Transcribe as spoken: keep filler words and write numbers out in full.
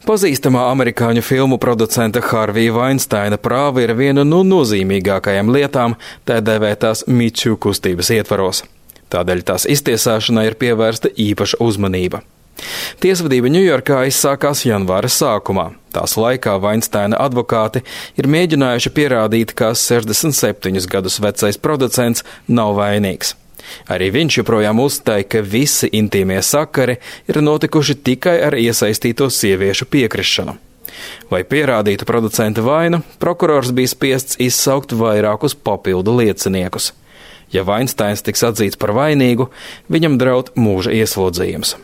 Pazīstamā amerikāņu filmu producenta Harvija Vainsteina prāva ir viena no nozīmīgākajām lietām tā dēvētās Me Too kustības ietvaros. Tādēļ tās iztiesāšanai ir pievērsta īpaša uzmanība. Tiesvedība Ņujorkā izsākās janvāra sākumā. Tās laikā Vainsteina advokāti ir mēģinājuši pierādīt, ka sešdesmit septiņus gadus vecais producents nav vainīgs. Arī viņš joprojām uzstāja, ka visi intīmie sakari ir notikuši tikai ar iesaistīto sieviešu piekrišanu. Lai pierādītu producenta vainu, prokurors bija spiests izsaukt vairākus papildu lieciniekus. Ja Vainsteins tiks atzīts par vainīgu, viņam draud mūža ieslodzījums.